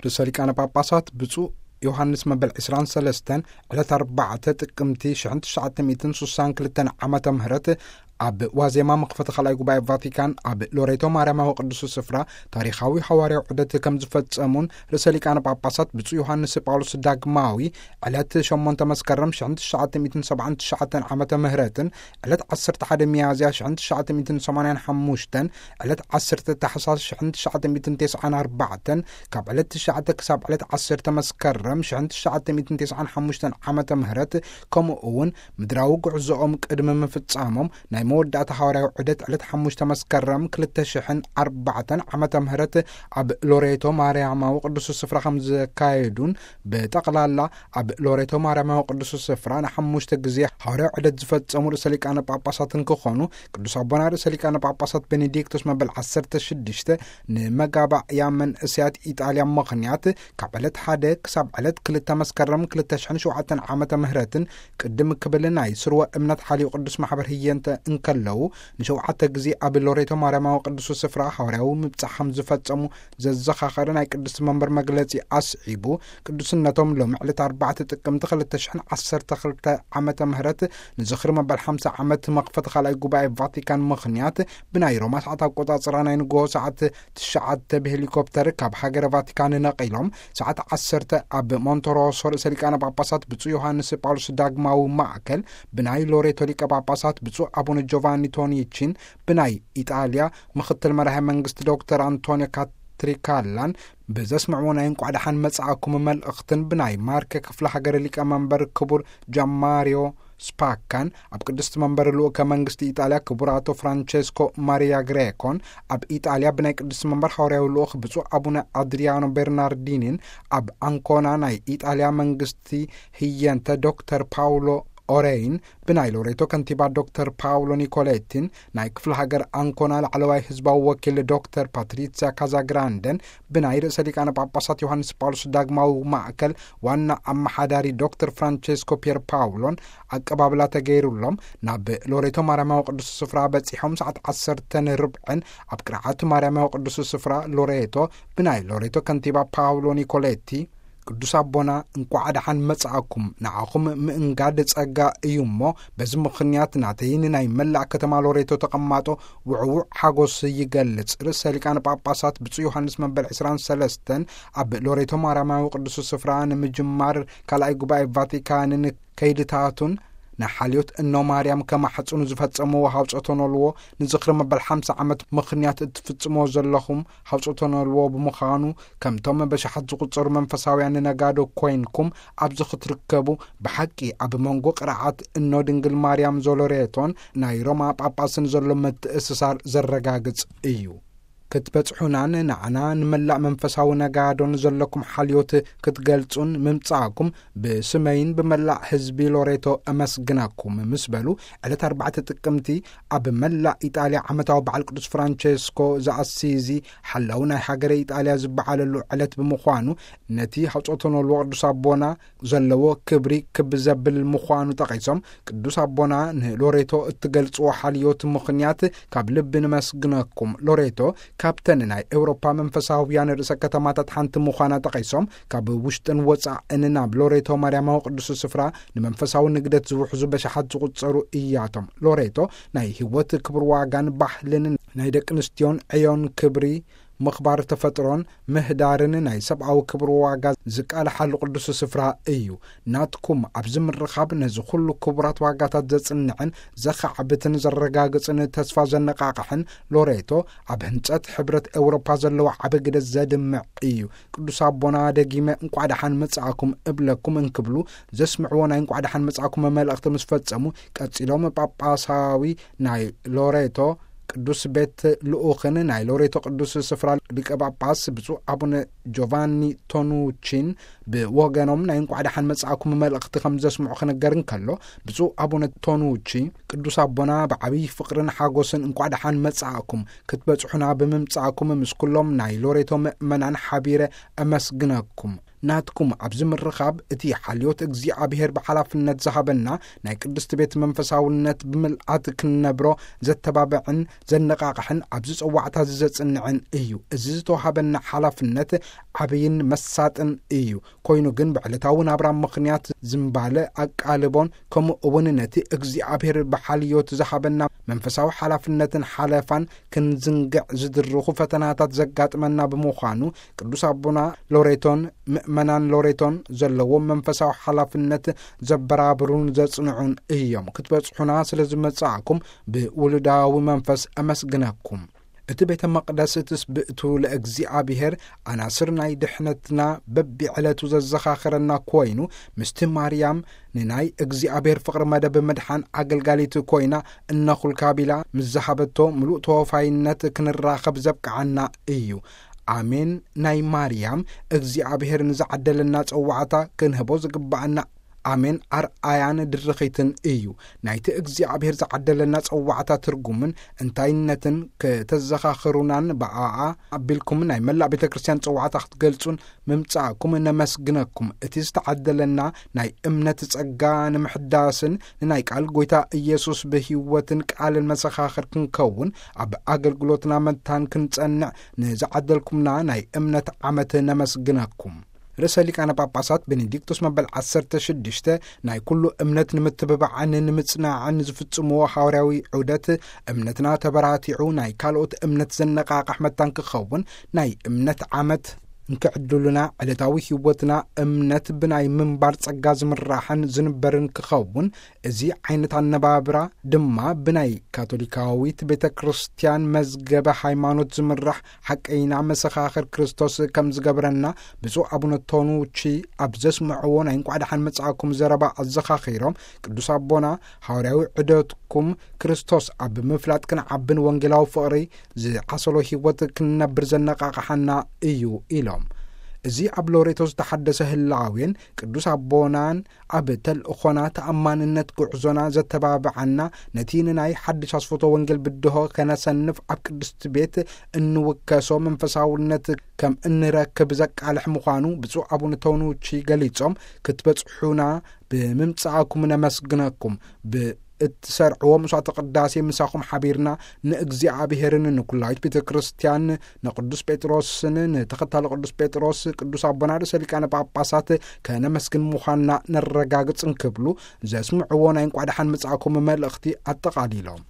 ርእሰ ሊቃነ ጳጳሳት ብፁዕ ዮሃንስ መበል ዕስራን ሰለስተን ዕለት ኣርባዕተ ጥቅምቲ ሽሕን ትሽዓተ ሚእትን ስሳን ክልተን ዓመተ ምህረት ኣብ ዋዜማ መኽፈቲ ካልኣይ ጉባኤ ቫቲካን ኣብ ሎሬቶ ማርያማዊ ቅዱስ ስፍራ ታሪኻዊ ሃዋርያዊ ዑደት ከም ዝፈጸሙን ርእሰ ሊቃነ ጳጳሳት ብፁዕ ዮሃንስ ጳውሎስ ዳግማዊ ዕለት ሸሞንተ መስከረም ሽሕን ትሽዓተ ሚእትን ሰብዓን ትሽዓተን ዓመተ ምህረትን ዕለት ዓሰርተ ሓደ ሚያዝያ ሽሕን ትሽዓተ ሚእትን ሰማንያን ሓሙሽተን ዕለት ዓሰርተ ታሕሳስ ሽሕን ትሽዓተ ሚእትን ተስዓን ኣርባዕተን ካብ ዕለት ትሽዓተ ክሳብ ዕለት ዓሰርተ መስከረም ሽሕን ትሽዓተ ሚእትን ተስዓን ሓሙሽተን ዓመተ ምህረት ከምኡ እውን ምድራዊ ጉዕዞኦም ቅድሚ ምፍጻሞም ናይ መወዳእታ ሃዋርያዊ ዑደት ዕለት ሓሙሽተ መስከረም ክልተ ሽሕን ኣርባዕተን ዓመተ ምህረት ኣብ ሎሬቶ ማርያማዊ ቅዱስ ስፍራ ከም ዘካየዱን ብጠቕላላ ኣብ ሎሬቶ ማርያማዊ ቅዱስ ስፍራ ንሓሙሽተ ግዜ ሃዋርያዊ ዑደት ዝፈጸሙ ርእሰ ሊቃነ ጳጳሳት እንክኾኑ ቅዱስ ኣቦና ርእሰ ሊቃነ ጳጳሳት ቤኔዲክቶስ መበል ዓሰርተ ሽዱሽተ ንመጋባእያ መንእሰያት ኢጣልያ ምኽንያት ካብ ዕለት ሓደ ክሳብ ዕለት ክልተ መስከረም ክልተ ሽሕን ሸውዓተን ዓመተ ምህረትን ቅድም ክብል ናይ ስርወ እምነት ሓልዩ ቅዱስ ማሕበር ህየንተ እንከለዉ ንሸውዓተ ግዜ ኣብ ሎሬቶ ማርያማዊ ቅዱስ ስፍራ ሃዋርያዊ ምብጻሕ ከም ዝፈጸሙ ዘዘኻኸረ ናይ ቅድስቲ መንበር መግለጺ ኣስዒቡ ቅዱስነቶም ሎሚ ዕለት ኣርባዕተ ጥቅምቲ ክልተ ሽሕን ዓሰርተ ክልተ ዓመተ ምህረት ንዝኽሪ መበል ሓምሳ ዓመት መኽፈቲ ካልኣይ ጉባኤ ቫቲካን ምኽንያት ብናይ ሮማ ሰዓት ኣቆጻጽራ ናይ ንግሆ ሰዓት ትሽዓተ ብሄሊኮፕተር ካብ ሃገረ ቫቲካን ነቒሎም ሰዓት ዓሰርተ ኣብ ሞንቶሮሶ ርእሰ ሊቃነ ጳጳሳት ብፁዕ ዮሃንስ ጳውሎስ ዳግማዊ ማእከል ብናይ ሎሬቶ ሊቀ ጳጳሳት ብፁዕ ኣቡነ ጆቫኒ ቶኒቺን ብናይ ኢጣልያ ምኽትል መራሒ መንግስቲ ዶክተር ኣንቶኒዮ ካትሪካላን ብዘስምዕዎ ናይ እንቋዕ ደሓን መጻእኩም መልእኽትን ብናይ ማርከ ክፍለ ሃገር ሊቀ መንበር ክቡር ጃማሪዮ ስፓካን ኣብ ቅድስቲ መንበር ልኡከ መንግስቲ ኢጣልያ ክቡር ኣቶ ፍራንቸስኮ ማሪያ ግሬኮን ኣብ ኢጣልያ ብናይ ቅድስቲ መንበር ሃዋርያዊ ልኡኽ ብፁዕ ኣቡነ ኣድሪያኖ ቤርናርዲኒን ኣብ ኣንኮና ናይ ኢጣልያ መንግስቲ ህየንተ ዶክተር ፓውሎ ኦሬይን ብናይ ሎሬቶ ከንቲባ ዶክተር ፓውሎ ኒኮሌቲን ናይ ክፍለ ሃገር ኣንኮና ላዕለዋይ ህዝባዊ ወኪል ዶክተር ፓትሪሲያ ካዛግራንደን ብናይ ርእሰ ሊቃነ ጳጳሳት ዮሃንስ ጳውሎስ ዳግማዊ ማእከል ዋና ኣመሓዳሪ ዶክተር ፍራንቸስኮ ፒየር ፓውሎን ኣቀባብላ ተገይሩሎም ናብ ሎሬቶ ማርያማዊ ቅዱስ ስፍራ በጺሖም ሰዓት ዓሰርተ ንርብዕን ኣብ ቅርዓት ማርያማዊ ቅዱስ ስፍራ ሎሬቶ ብናይ ሎሬቶ ከንቲባ ፓውሎ ኒኮሌቲ ቅዱስ ኣቦና እንቋዕ ደሓን መጻእኩም። ንዓኹም ምእንጋድ ጸጋ እዩ እሞ፣ በዚ ምኽንያት ናተይን ናይ መላእ ከተማ ሎሬቶ ተቐማጦ ውዕዉዕ ሓጎስ ይገልጽ። ርእሰ ሊቃነ ጳጳሳት ብፁዕ ዮሃንስ መበል ዕስራን ሰለስተን ኣብ ሎሬቶ ማርያማዊ ቅዱስ ስፍራ ንምጅማር ካልኣይ ጉባኤ ቫቲካንን ከይድታቱን ንሓልዮት እኖ ማርያም ከማሕጽኑ ዝፈጸምዎ ሃውጾቶ ነልዎ ንዝኽሪ መበል ሓምሳ ዓመት ምኽንያት እትፍጽምዎ ዘለኹም ሃውጾቶ ነልዎ ብምዃኑ፣ ከምቶም በሽሓት ዝቑጸሩ መንፈሳውያን ነጋዶ ኮይንኩም ኣብዚ ክትርከቡ፣ ብሓቂ ኣብ መንጎ ቅርዓት እኖ ድንግል ማርያም ዞሎሬቶን ናይ ሮማ ጳጳስን ዘሎ ምትእስሳር ዘረጋግጽ እዩ። ክትበጽሑናን ንዓና ንመላእ መንፈሳዊ ነጋዶን ዘለኩም ሓልዮት ክትገልጹን ምምጻእኩም ብስመይን ብመላእ ህዝቢ ሎሬቶ እመስግነኩም ምስ በሉ፣ ዕለት ኣርባዕተ ጥቅምቲ ኣብ መላእ ኢጣልያ ዓመታዊ በዓል ቅዱስ ፍራንቸስኮ ዘኣሲዚ ሓላው ናይ ሃገረ ኢጣልያ ዝበዓለሉ ዕለት ብምዃኑ፣ ነቲ ሃውጾቶ ነልዎ ቅዱስ ኣቦና ዘለዎ ክብሪ ክብ ዘብል ምዃኑ ጠቒሶም፣ ቅዱስ ኣቦና ንሎሬቶ እትገልጽዎ ሓልዮት ምኽንያት ካብ ልቢ ንመስግነኩም። ሎሬቶ ካብተን ናይ ኤውሮፓ መንፈሳውያን ርእሰ ከተማታት ሓንቲ ምዃና ጠቒሶም፣ ካብ ውሽጥን ወጻእን ናብ ሎሬቶ ማርያማዊ ቅዱስ ስፍራ ንመንፈሳዊ ንግደት ዝውሕዙ በሽሓት ዝቑጸሩ እያቶም። ሎሬቶ ናይ ህይወት ክብር ዋጋን ባህልን ናይ ደቂ ኣንስትዮን ዕዮን ክብሪ ምኽባር ተፈጥሮን ምህዳርን ናይ ሰብኣዊ ክብሪ ዋጋ ዝቃልሓሉ ቅዱስ ስፍራ እዩ። ናትኩም ኣብዚ ምርኻብ ነዚ ኩሉ ክቡራት ዋጋታት ዘጽንዕን ዘኻዕብትን ዘረጋግጽን ተስፋ ዘነቓቕሕን ሎሬቶ ኣብ ህንጸት ሕብረት ኤውሮፓ ዘለዎ ዓቢ ግደ ዘድምዕ እዩ። ቅዱስ ኣቦና ደጊመ እንቋዕ ደሓን መጻእኩም እብለኩም እንክብሉ ዘስምዕዎ ናይ እንቋዕ ደሓን መጻእኩም መልእኽቲ ምስ ፈጸሙ፣ ቀጺሎም ጳጳሳዊ ናይ ሎሬቶ ቅዱስ ቤት ልኡኽን ናይ ሎሬቶ ቅዱስ ስፍራ ሊቀ ጳጳስ ብፁዕ ኣቡነ ጆቫኒ ቶኑቺን ብወገኖም ናይ እንቋዕ ደሓን መጻእኩም መልእኽቲ ከም ዘስምዑ ክነገር እንከሎ፣ ብፁዕ ኣቡነ ቶኑቺ ቅዱስ ኣቦና ብዓብዪ ፍቕርን ሓጎስን እንቋዕ ደሓን መጻእኩም፣ ክትበጽሑና ብምምጻእኩም ምስ ኩሎም ናይ ሎሬቶ ምእመናን ሓቢረ እመስግነኩም። ናትኩም ኣብዚ ምርኻብ፣ እቲ ሓልዮት እግዚኣብሔር ብሓላፍነት ዝሃበና ናይ ቅድስቲ ቤት መንፈሳውነት ብምልኣት ክንነብሮ ዘተባብዕን ዘነቓቕሕን፣ ኣብዚ ጸዋዕታ እዚ ዘጽንዕን እዩ። እዚ ዝተዋሃበና ሓላፍነት ዓብይን መሳጥን እዩ። ኮይኑ ግን፣ ብዕለታዊ ናብራ ምኽንያት ዝምባለ ኣቃልቦን፣ ከምኡ እውን ነቲ እግዚኣብሔር ብሓልዮት ዝሃበና መንፈሳዊ ሓላፍነትን ሓለፋን ክንዝንግዕ ዝድርኹ ፈተናታት ዘጋጥመና ብምዃኑ፣ ቅዱስ ኣቦና ሎሬቶን ምእመናን ሎሬቶን ዘለዎም መንፈሳዊ ሓላፍነት ዘበራብሩን ዘጽንዑን እዮም። ክትበጽሑና ስለ ዝመጻእኩም ብውሉዳዊ መንፈስ ኣመስግነኩም። እቲ ቤተ መቕደስ ትስብእቱ ለእግዚኣብሔር፣ ኣናስር ናይ ድሕነትና በቢዕለቱ ዘዘኻኽረና ኮይኑ፣ ምስቲ ማርያም ንናይ እግዚኣብሔር ፍቕሪ መደብ ምድሓን ኣገልጋሊት ኮይና እነኹልካ ቢላ ምስ ዝሃበቶ ምሉእ ተወፋይነት ክንራኸብ ዘብቅዓና እዩ። ኣሜን። ናይ ማርያም እግዚኣብሔር ንዝዓደለና ጸዋዕታ ክንህቦ ዝግብኣና ኣሜን ኣርኣያን ድርኺትን እዩ። ናይቲ እግዚኣብሔር ዝዓደለና ጸዋዕታ ትርጉምን እንታይነትን ከተዘኻኽሩናን ብኣኣ ኣቢልኩም ናይ መላእ ቤተ ክርስቲያን ጸዋዕታ ክትገልጹን ምምጻእኩም ነመስግነኩም። እቲ ዝተዓደለና ናይ እምነት ጸጋ ንምሕዳስን ንናይ ቃል ጐይታ ኢየሱስ ብህይወትን ቃልን መሰኻኽር ክንከውን፣ ኣብ ኣገልግሎትና መታን ክንጸንዕ ንዝዓደልኩምና ናይ እምነት ዓመት ነመስግነኩም። ርእሰ ሊቃነ ጳጳሳት ቤኔዲክቶስ መበል ዓሰርተ ሽዱሽተ ናይ ኩሉ እምነት ንምትብባዕን ንምጽናዕን ዝፍጽምዎ ሃዋርያዊ ዑደት፣ እምነትና ተበራቲዑ ናይ ካልኦት እምነት ዘነቓቕሕ መታን ክኸውን፣ ናይ እምነት ዓመት እንክዕድሉና፣ ዕለታዊ ህይወትና እምነት ብናይ ምንባር ጸጋ ዝምራሕን ዝንበርን ክኸውን፣ እዚ ዓይነት ኣነባብራ ድማ ብናይ ካቶሊካዊት ቤተ ክርስቲያን መዝገበ ሃይማኖት ዝምራሕ ሓቀይና መሰኻኽር ክርስቶስ ከም ዝገብረና፣ ብፁዕ ኣቡነ ቶኑቺ ኣብ ዘስምዕዎ ናይ እንቋዕ ደሓን መጻእኩም ዘረባ ኣዘኻኺሮም፣ ቅዱስ ኣቦና፣ ሃዋርያዊ ዑደትኩም ክርስቶስ ኣብ ምፍላጥ ክንዓብን ወንጌላዊ ፍቕሪ ዝዓሰሎ ህይወት ክንነብር ዘነቓቕሓና እዩ ኢሎም። እዚ ኣብ ሎሬቶ ዝተሓደሰ ህላዌን ቅዱስ ኣቦናን ኣብ ተልእኾና ተኣማንነት ጉዕዞና ዘተባብዓና፣ ነቲ ንናይ ሓድሽ ኣስፎቶ ወንጌል ብድሆ ከነሰንፍ ኣብ ቅድስቲ ቤት እንውከሶ መንፈሳውነት ከም እንረክብ ዘቃልሕ ምዃኑ ብፁዕ ኣቡነ ቶኑቺ ገሊጾም፣ ክትበጽሑና ብምምጻእኩም ነመስግነኩም። ብእትሰርዕዎ መስዋዕተ ቅዳሴ ምሳኹም ሓቢርና ንእግዚኣብሔርን ንኩላዊት ቤተ ክርስቲያን፣ ንቅዱስ ጴጥሮስን ንተኸታሊ ቅዱስ ጴጥሮስ፣ ቅዱስ ኣቦና ርእሰ ሊቃነ ጳጳሳት ከነመስግን ምዃንና ነረጋግጽ እንክብሉ ዘስምዕዎ ናይ እንቋዕ ደሓን መጻእኩም መልእኽቲ ኣጠቓሊሎም።